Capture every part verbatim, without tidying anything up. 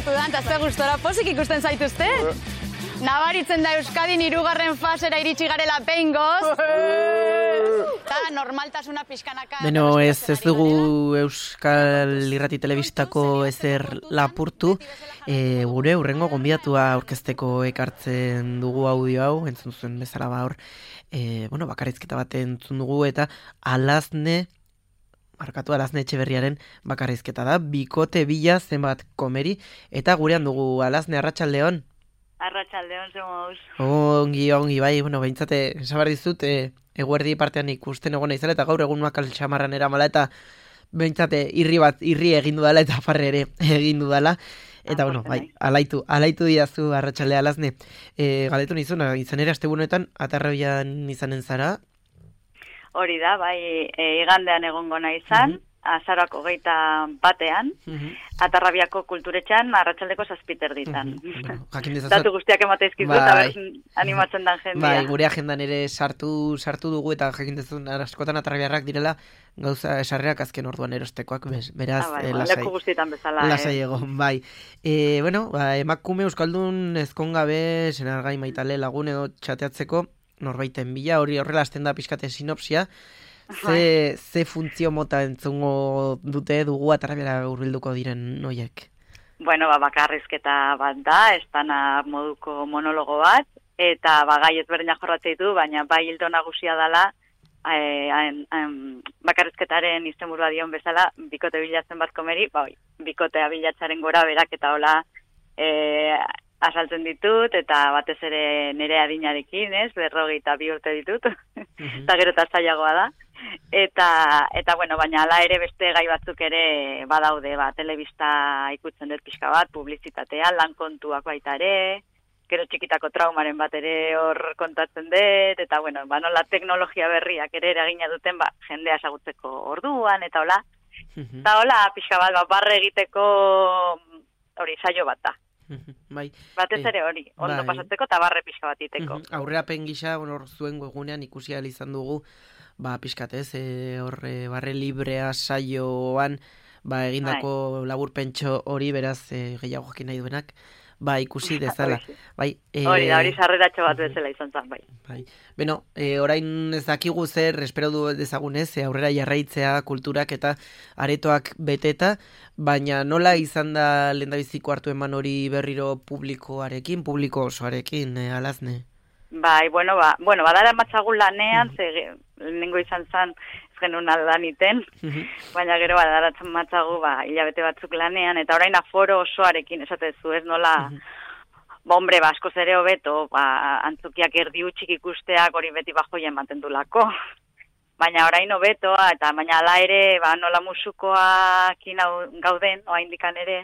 lortu da, eta ze gustora pozik ikusten zaituzte. Nabaritzen da Euskadin hirugarren fasera iritsi garela behingoz. Eta normaltasuna pixkanaka... Beno, ez, ez dugu Euskal Irrati Telebistako ezer lapurtu. E, gure hurrengo gonbidatua aurkezteko ekartzen dugu audio hau, entzun zuen bezala ba hor. E, bueno, bakarrizketa bat entzun dugu eta Alazne, markatu Alazne Etxeberriaren bakarrizketa da. Bikote bila zenbat komeri. Eta gurean dugu Alazne, arratsaldeon. Arratsaldeon zemoz. Ongi, ongi, bai, bueno, behintzate, esabar dizut, e, eguerdi partean ikusten egon izala, eta gaur egun makal txamarran eramala, eta behintzate, irri bat, irri egin dudala, eta farre ere egin dudala. Eta, bueno, bai, alaitu, alaitu diazu arratsalde Alazne. E, galetu nizuna, izan ere, astebunetan, atarrabian izanen zara? Hori da, bai, e, igandean egongo nahi izan, mm-hmm. Azaroak hogeita batean, mm-hmm. Atarrabiako kulturetxan, arratsaldeko zazpiter ditan. Mm-hmm. Bueno, datu guztiak emateizkizu bai. Eta animatzen dan jendia. Bai, gure agendan ere sartu sartu dugu eta jakintezun askotan atarrabiarrak direla gauza esarreak azken orduan erostekoak, beraz, ah, bai, eh, lasai. Leku guztietan bezala. Lasai eh. egon, bai. E, bueno, ba, emakume euskaldun ezkongabe, senargai maitale lagun edo txateatzeko, norbaiten bila, hori horrela azten da pixkate sinopsia, Ze, ze funtzio mota entzungo dute dugu atarrabiara hurbilduko diren noiek? Bueno, ba, bakarrizketa bat da, estana moduko monologo bat, eta ba, gai ezberdinak jorratzea ditu, baina bai hildo nagusia dela, e, en, en, bakarrizketaren izenburua dion bezala, bikote bilatzen bat komeri, ba, bikotea bilatzaren gora berak eta hola e, asaltzen ditut, eta batez ere nire adinarekin, ez, berrogeita bi urte ditut, mm-hmm. eta gero eta zailagoa da. Eta, eta bueno, baina ala ere beste gai batzuk ere badaude, ba, telebista ikutzen dut pixka bat, publizitatea, lan kontuak baita ere, gero txikitako traumaren bat ere hor kontatzen dut, eta bueno, ba, nola teknologia berriak ere eragina duten, ba, jendea esagutzeko orduan, eta hola, mm-hmm. eta hola, pixka bat, ba, barre egiteko hori saio bat da. Bai. Batez ere hori, ondo bai. Pasatzeko eta barre pixka bat iteko. Mm-hmm. Aurreapen gisa, hor zuen egunean ikusi ahal izan dugu, ba, pixkatez, e, horre, barre librea saioan, ba, egindako bai. Laburpentxo hori, beraz, e, gehiago jakin nahi duenak, ba, ikusi dezala. Bai, e, hori da, hori sarreratxo bat bezala izan zen, bai. Bai. Beno, e, orain ez dakigu zer, espero du dezagunez, e, aurrera jarraitzea kulturak eta aretoak beteta, baina nola izan da lehendabiziko hartu eman hori berriro publikoarekin, publiko osoarekin, e, Alazne? Bai, bueno, ba, bueno, badara matzagun lanean, mm. ze lehenengo izan zen, ez genuen aldan iten, mm-hmm. baina gero badara matzagu, ba, hilabete batzuk lanean, eta orain aforo osoarekin, esatezu, ez nola, mm-hmm. ba, hombre, ba, askoz ere hobeto, ba, antzukiak erdi utxik ikusteak hori beti bajoia ematen dulako. Baina orain hobeto, eta baina ala ere, ba, nola musukoakin gauden, oa indikan ere,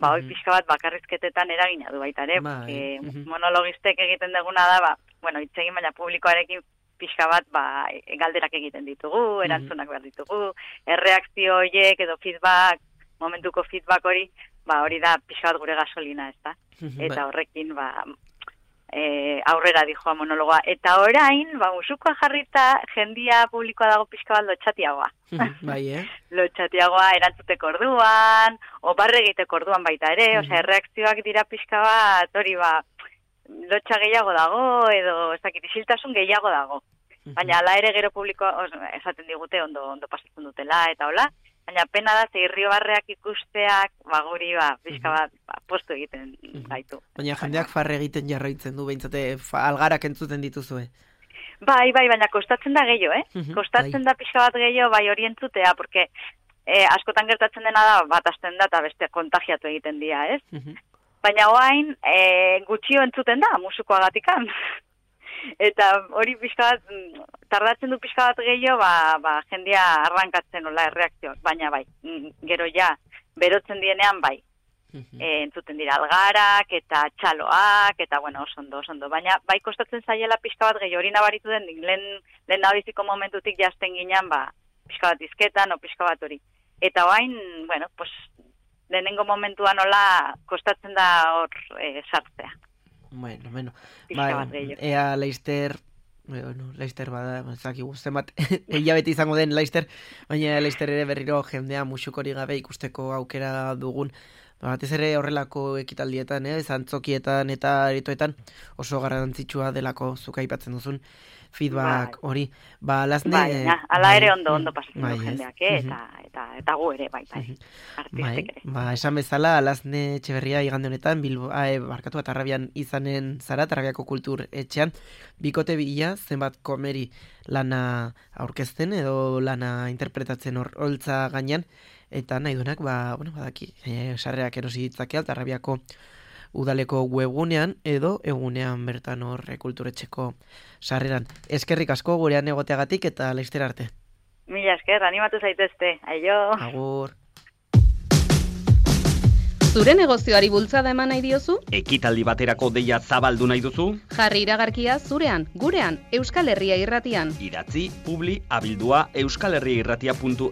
ba, hoi pixka bat bakarrizketetan eragina du baita ere, porque mm-hmm. monologistek egiten duguna da, ba, bueno, itzegin baina publikoarekin pixka bat, ba, galderak egiten ditugu, erantzunak behar ditugu, erreakzio horiek edo feedback, momentuko feedback hori, ba, hori da pixka bat gure gasolina, ez da? Eta horrekin, ba, e, aurrera dijoa monologoa. Eta orain, ba, musukoa jarrita, jendia publikoa dago pixka bat lotxatiagoa. Bai, eh? Lotxatiagoa erantzuteko orduan, oparre egiteko orduan baita ere, mm-hmm. osea, erreakzioak dira pixka bat, hori ba, lotxa gehiago dago, edo ez dakit, isiltasun gehiago dago. Mm-hmm. Baina ala ere gero publikoa, os, esaten digute ondo, ondo pasatzen dutela, eta hola, baina pena da, zeirrio barreak ikusteak, ba, guri, ba, pixka bat, ba, postu egiten gaitu. Baina jendeak farre egiten jarraitzen du, behintzate, algarak entzuten dituzue. Bai, bai, baina kostatzen da gehiago, eh? Uh-huh, kostatzen bai. Da pixka bat gehiago, bai hori entzutea, porque eh, askotan gertatzen dena da, bat asten da, eta beste kontagiatu egiten dira, ez? Uh-huh. Baina hoain, eh, gutxio entzuten da, musukoagatikan. Eta hori pixka bat, tardatzen du pixka bat gehiago, ba, ba, jendia arrankatzen nola erreakzioak, baina bai, gero ja, berotzen dienean bai. E, entzuten dira algarak eta txaloak eta bueno, osondo, osondo. Baina bai kostatzen zaiela pixka bat gehi hori nabaritu den, lehen, lehen nabiziko momentutik jazten ginean, ba, pixka bat izketan o pixka bat hori. Eta bain, bueno, pues, lehenengo momentuan nola kostatzen da hor e, sartzea. Bueno, bueno. Bai, ea Leister, bueno, Leister bada, zaki guzten bat, eia beti izango den Leister, baina Leister ere berriro jendea musukori gabe ikusteko aukera dugun, batez ere horrelako ekitaldietan, eh, zantzokietan eta aretoetan oso garrantzitsua delako zuk aipatzen duzun feedback hori. Ba, Lasne... Bai, na, ala ere ondo, ondo pasatzen bai, du jendeak, eh? eta, eta, eta gu ere, bai, bai, artistek bai, ere. ba, esan bezala, Lasne Etxeberria igande honetan, Bilbo, eh, barkatu eta Tarrabian izanen zara, Tarrabiako kultur etxean, bikote bila, zenbat komeri lana aurkezten edo lana interpretatzen hor holtza gainean, eta nahi duenak, ba, bueno, badaki, eh, sarrerak erosi ditzakea, Tarrabiako udaleko webgunean edo egunean bertan hor kulturetxeko sarreran. Eskerrik asko gurean egoteagatik eta laizter arte. Mila esker, animatu zaitezte. Aio. Agur. Zure negozioari bultzada eman nahi diozu? Ekitaldi baterako deia zabaldu nahi duzu? Jarri iragarkia zurean, gurean, Euskal Herria Irratian. Idatzi, publi, abildua, euskalherriairratia puntu